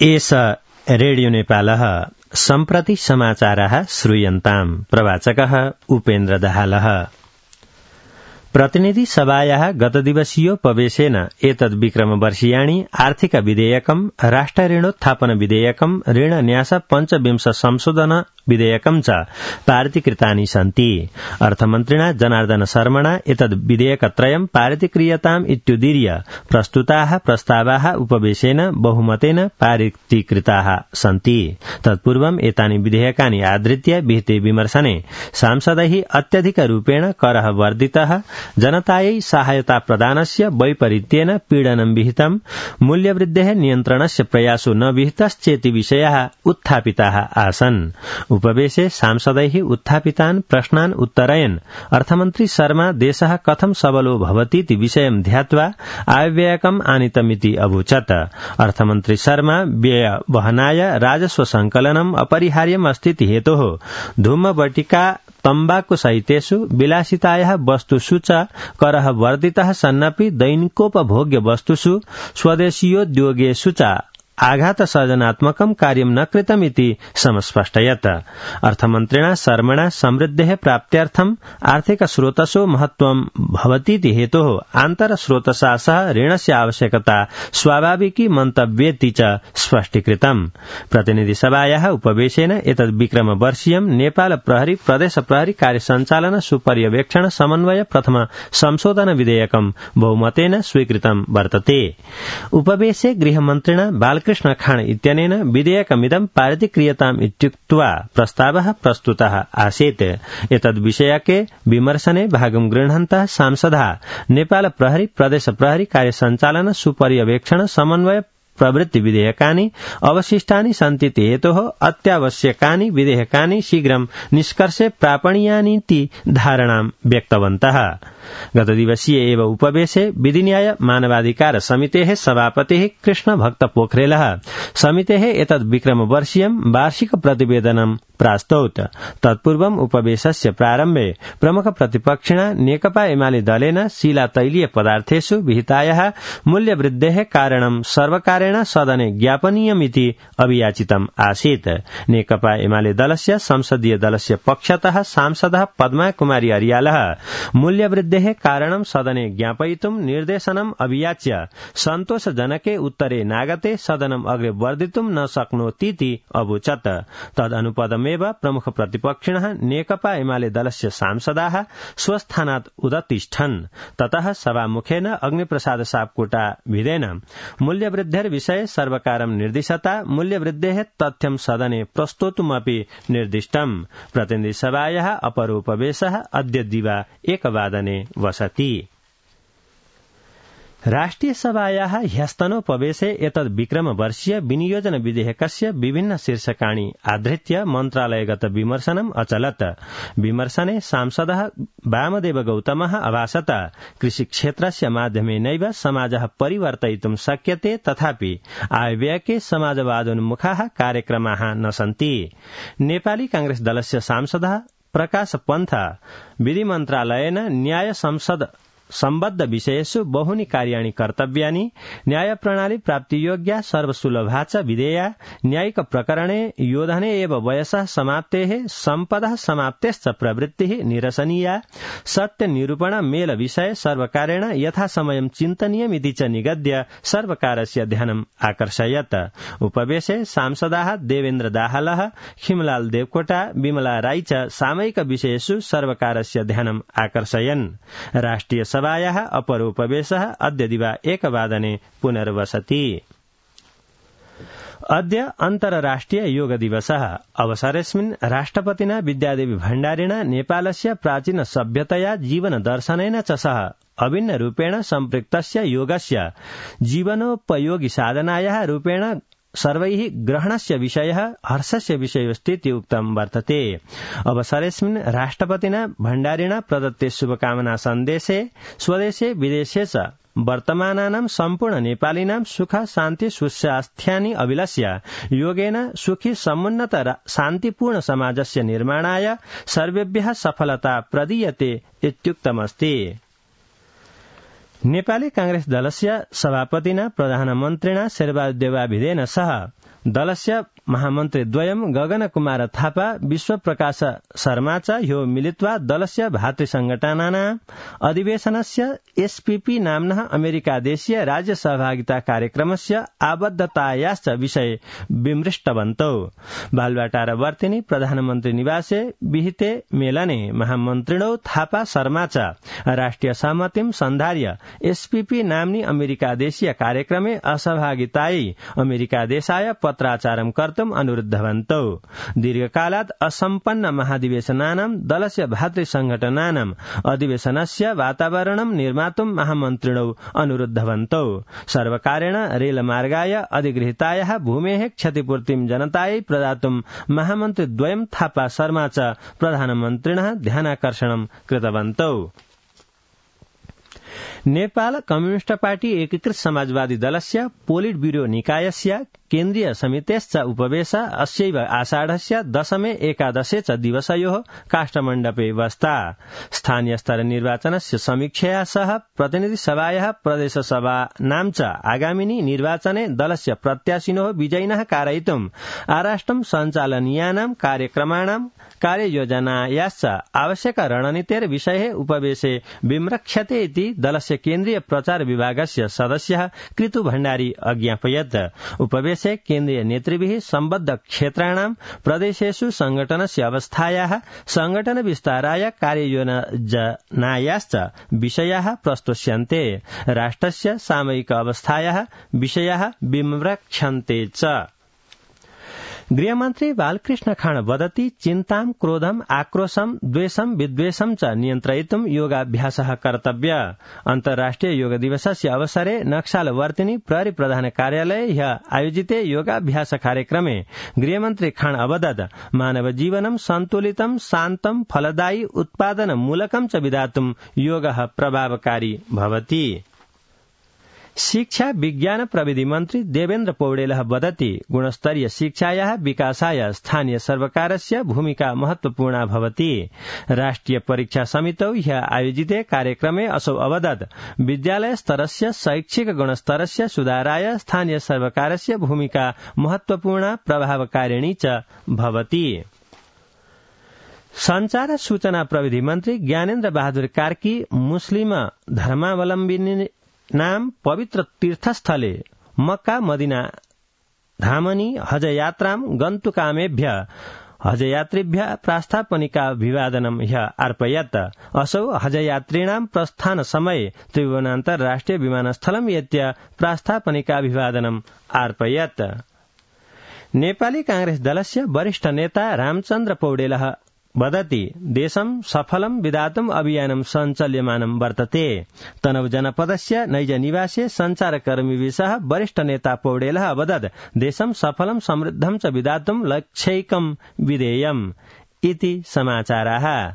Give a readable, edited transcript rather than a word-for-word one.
एष रेडियो नेपालः सम्प्रति समाचारः श्रूयन्ताम्। प्रवाचकः उपेन्द्र दाहालः। प्रतिनिधि सभायाः गतदिवसीयोपवेशेन एतद्विक्रमवर्षीयाणि आर्थिक विधेयकम् राष्ट्र ऋणोत्थापन विधेयकम् ऋणन्यास पञ्चविंश संशोधन विधेयकम् च पारितीकृतानि सन्ति। अर्थमन्त्रिणा जनार्दन शर्मणा एतद् विधेयकत्रयम् पारितीक्रियताम् इत्युदीर्य प्रस्तुताः प्रस्तावाः उपवेशेन बहुमतेन पारितीकृताः सन्ति। तत्पूर्वम् एतानि विधेयकानि आधृत्य विहिते विमर्शने सांसदैः अत्यधिकरूपेण करः वर्धितः, जनतायै सहायता प्रदानस्य वैपरीत्येन पीडनं विहितम्, मूल्यवृद्धेः नियन्त्रणस्य प्रयासो न विहितश्चेति विषयाः उत्थापिताः आसन्। उपवेशे सांसदैः उत्थापितान् प्रश्नान् उत्तरयन् अर्थमन्त्री शर्मा देशः कथं सबलो भवतीति विषयं ध्यात्वा आयव्ययकम् आनीतमिति अवोचत्। अर्थमन्त्री शर्मा व्ययवहनाय राजस्व संकलनम् अपरिहार्यम् अस्तीति हेतोः धूमवटिका तम्बाकु सहितेषु विलासितायाः वस्तुषु च करः वर्धितः सन्नपि दैनिकोपभोग्य वस्तुषु स्वदेशीयोद्योगेषु च आघात सर्जनात्मकं कार्यं न कृतमिति समस्पष्टयत्। अर्थमन्त्रिणा शर्मणा समृद्धेः प्राप्त्यर्थम् आर्थिक स्रोतसो महत्वं भवतीति हेतोः आन्तरस्रोतसा सह ऋणस्य आवश्यकता स्वाभाविकी मन्तव्येति च स्पष्टीकृतम्। प्रतिनिधिसभायाः उपवेशेन एतद् विक्रमवर्षीयं नेपाल प्रहरी प्रदेश प्रहरी कार्यसञ्चालन सुपर्यवेक्षण समन्वय प्रथम संशोधन विधेयकं बहुमतेन स्वीकृतं वर्तते। उपवेशे गृहमन्त्रिणा बालकृष्ण खाण इत्यनेन विधेयकमिदं पारितीक्रियताम् इत्युक्त्वा प्रस्तावः प्रस्तुतः आसीत्। एतद्विषयके विमर्शने भागं गृह्णन्तः सांसदाः नेपाल प्रहरी प्रदेश प्रहरी कार्यसञ्चालन सुपर्यवेक्षण समन्वय प्रवृत्ति विधेयकानि अवशिष्टानि सन्तीति हेतोः अत्यावश्यकानि विधेयकानि शीघ्रं निष्कर्षे प्रापणीयानीति धारणां व्यक्तवन्तः। गतदिवसीय एव उपवेशे विधिन्याय मानवाधिकार समितेः सभापतिः कृष्ण भक्त पोखरेलः समितेः एतद् विक्रमवर्षीयं वार्षिक प्रतिवेदनं प्रास्तौत्। तत्पूर्वम् उपवेशस्य प्रारम्भे प्रमुख प्रतिपक्षिणा नेकपा एमाले दलेन शिलातैलीय पदार्थेषु विहितायाः मूल्यवृद्धेः कारणं सर्वकारेण सदने ज्ञापनीयमिति अभियाचितम् आसीत्। नेकपा एमाले दलस्य संसदीय दलस्य पक्षतः सांसदः पद्मा कुमारी अर्यालः मूल्यवृद्धेः कारणं सदने ज्ञापयितुं निर्देशनम् अभियाच्य सन्तोषजनके उत्तरे नागते सदनम् अग्रे वर्धितुं न शक्नोतीति अवोचत्। तदनुपदमेव प्रमुख प्रतिपक्षिणः नेकपा एमाले दलस्य सांसदाः स्वस्थानात् उदतिष्ठन्। ततः सभामुखेन अग्निप्रसाद सापकोटा विधेन मूल्यवृद्धेर्विषये सर्वकारं निर्दिशता मूल्यवृद्धेः तथ्यं सदने प्रस्तोतुमपि निर्दिष्टम्। प्रतिनिधिसभायाः अपरोपवेशः अद्य दिवा 1 वादने वसति। राष्ट्रियसभायाः ह्यस्तनोपवेशे एतद् विक्रमवर्षीय विनियोजन विधेयकस्य विभिन्न शीर्षकाणि आधृत्य मन्त्रालयगत विमर्शनम् अचलत्। विमर्शने सांसदः वामदेव गौतमः अभाषत कृषिक्षेत्रस्य माध्यमेनैव समाजः परिवर्तयितुं शक्यते, तथापि आयव्ययके समाजवादोन्मुखाः कार्यक्रमाः न सन्ति। नेपाली कांग्रेस दलस्य सांसदः प्रकाश पन्थ विधिमन्त्रालयेन न्याय संसद सम्बद्ध विषयेषु बहूनि कार्याणि कर्तव्यानि, न्यायप्रणाली प्राप्तियोग्या सर्वसुलभा च विधेया, न्यायिक प्रकरणे योधने एव वयसः समाप्तेः सम्पदः समाप्तेश्च प्रवृत्तिः निरसनीया, सत्यनिरूपण मेल विषये सर्वकारेण यथासमयं चिन्तनीयमिति च निगद्य सर्वकारस्य ध्यानम् आकर्षयत्। उपवेशे सांसदाः देवेन्द्र दाहालः, खिमलाल देवकोटा, विमला राई च सामयिक विषयेषु सर्वकारस्य ध्यानम् आकर्षयन्। राष्ट्रिय सभायाः अपरोपवेशः अद्य दिवा 1 वादने पुनर्वसति। अद्य अन्तर्राष्ट्रिय योग दिवसः। अवसरेऽस्मिन् राष्ट्रपतिना विद्यादेवी भण्डारिणा नेपालस्य प्राचीन सभ्यतया जीवनदर्शनेन च सह अभिन्नरूपेण सम्पृक्तस्य योगस्य जीवनोपयोगि साधनायाः रूपेण सर्वैः ग्रहणस्य विषयः हर्षस्य विषयोस्तीति उक्तं वर्तते। अवसरेऽस्मिन् राष्ट्रपतिना भण्डारिणा प्रदत्ते शुभकामना सन्देशे स्वदेशे विदेशे च वर्तमानानां सम्पूर्ण नेपालिनां सुख शान्ति सुस्वास्थ्यानि अभिलष्य योगेन सुखी समुन्नत शान्तिपूर्ण समाजस्य निर्माणाय सर्वेभ्यः सफलता प्रदीयते इत्युक्तमस्ति। नेपाली कांग्रेस दलस्य सभापतिना प्रधानमन्त्रिणा शेरबहादुर देउवाभिधेन सह दलस्य महामन्त्रीद्वयं गगनकुमार थापा विश्वप्रकाश शर्मा च ह्यो मिलित्वा दलस्य भातृसंघटनानां अधिवेशनस्य एसपीपी नाम्नः अमेरिकादेशीय राज्य सहभागिता कार्यक्रमस्य आबद्धतायाश्च विषये विमृष्टवन्तौ। बालुवाटार वर्तिनी प्रधानमन्त्री निवासे विहिते मेलने महामन्त्रिणौ थापा शर्मा च राष्ट्रिय सहमतिं सन्धार्य एसपीपी नाम्नि अमेरिकादेशीय कार्यक्रमे असहभागितायै अमेरिकादेशाय पत्राचारं कर्तुम् अनुरुद्धवन्तौ। दीर्घकालात् असम्पन्न महाधिवेशनानां दलस्य भातृसंघटनानां अधिवेशनस्य वातावरणं निर्मातुं महामन्त्रिणौ अनुरुद्धवन्तौ। सर्वकारेण रेलमार्गाय अधिगृहीतायाः भूमेः क्षतिपूर्तिं जनतायै प्रदातुं महामन्त्रिद्वयं थापा शर्मा च प्रधानमन्त्रिणः ध्यानाकर्षणं कृतवन्तौ। नेपाल कम्युनिष्ट पार्टी एकीकृत समाजवादी दलस्य पोलिट ब्यूरो निकायस्य केन्द्रीय समितेश्च उपवेश अस्यैव आषाढस्य 10 एकादशे च दिवसयोः काष्ठमण्डपे वस्ता। स्थानीय स्तर निर्वाचनस्य समीक्षया सह प्रतिनिधि सभायाः प्रदेश सभानां च आगामिनि निर्वाचने दलस्य प्रत्याशिनोः विजयिनः कारयितुम् आराष्ट्रं सञ्चालनीयानां कार्यक्रमाणां कार्ययोजनायाश्च आवश्यक रणनीतेर्विषये उपवेशे विमृक्ष्यते इति दलस्य केन्द्रीय प्रचार विभागस्य सदस्यः कृतु भण्डारी अज्ञापयत्। उपवेशे केन्द्रीय नेतृभिः सम्बद्ध क्षेत्राणां प्रदेशेषु संगठनस्य अवस्थायाः संगठन विस्ताराय कार्ययोजनायाश्च विषयाः प्रस्तुष्यन्ते। राष्ट्रस्य सामयिक अवस्थायाः विषयाः विमृक्ष्यन्ते च। गृहमन्त्री बालकृष्ण खाँड वदति चिन्तां क्रोधम् आक्रोशं द्वेषं विद्वेषं च नियन्त्रयितुं योगाभ्यासः कर्तव्य। अन्तर्राष्ट्रिय योग दिवसस्य अवसरे नक्सालवर्तिनी प्रहरी प्रधान कार्यालये ह्यः आयोजिते योगाभ्यास कार्यक्रमे गृहमन्त्री खाँड अवदत् मानव जीवनं सन्तुलितं शान्तं फलदायी उत्पादनमूलकं च विधातुं योगः प्रभावकारी भवति। शिक्षा विज्ञान प्रविधि मन्त्री देवेन्द्र पौडेलः वदति गुणस्तरीय शिक्षायाः विकासाय स्थानीय सर्वकारस्य भूमिका महत्वपूर्णा भवति। राष्ट्रिय परीक्षा समितौ ह्यः आयोजिते कार्यक्रमे असौ अवदत् विद्यालय स्तरस्य शैक्षिक गुणस्तरस्य सुधाराय स्थानीय सर्वकारस्य भूमिका महत्वपूर्णा प्रभावकारिणी च भवति। संचार सूचना प्रविधि मन्त्री ज्ञानेन्द्र बहादुर कार्की मुस्लिम धर्मावलम्बिनी नाम पवित्र तीर्थस्थले मक्का मदिना धामनि हज यात्रां गन्तुकामेभ्य हजयात्रिभ्य प्रास्थापनिकाभिवादनं ह्यः अर्पयत्। असौ हजयात्रिणां प्रस्थान समये त्रिभुवनान्तर्राष्ट्रिय विमानस्थलं एत्य प्रास्थापनिकाभिवादनं अर्पयत्। नेपाली कांग्रेस दलस्य वरिष्ठ नेता रामचन्द्र पौडेलः वदति देशं सफलं विधातुम् अभियानं सञ्चाल्यमानं वर्तते। तनहु जनपदस्य नैज निवासे सञ्चारकर्मिभिः सह वरिष्ठ नेता पौडेलः अवदत् देशं सफलं समृद्धं च विधातुम् लक्ष्यैकं विधेयम् इति समाचाराः।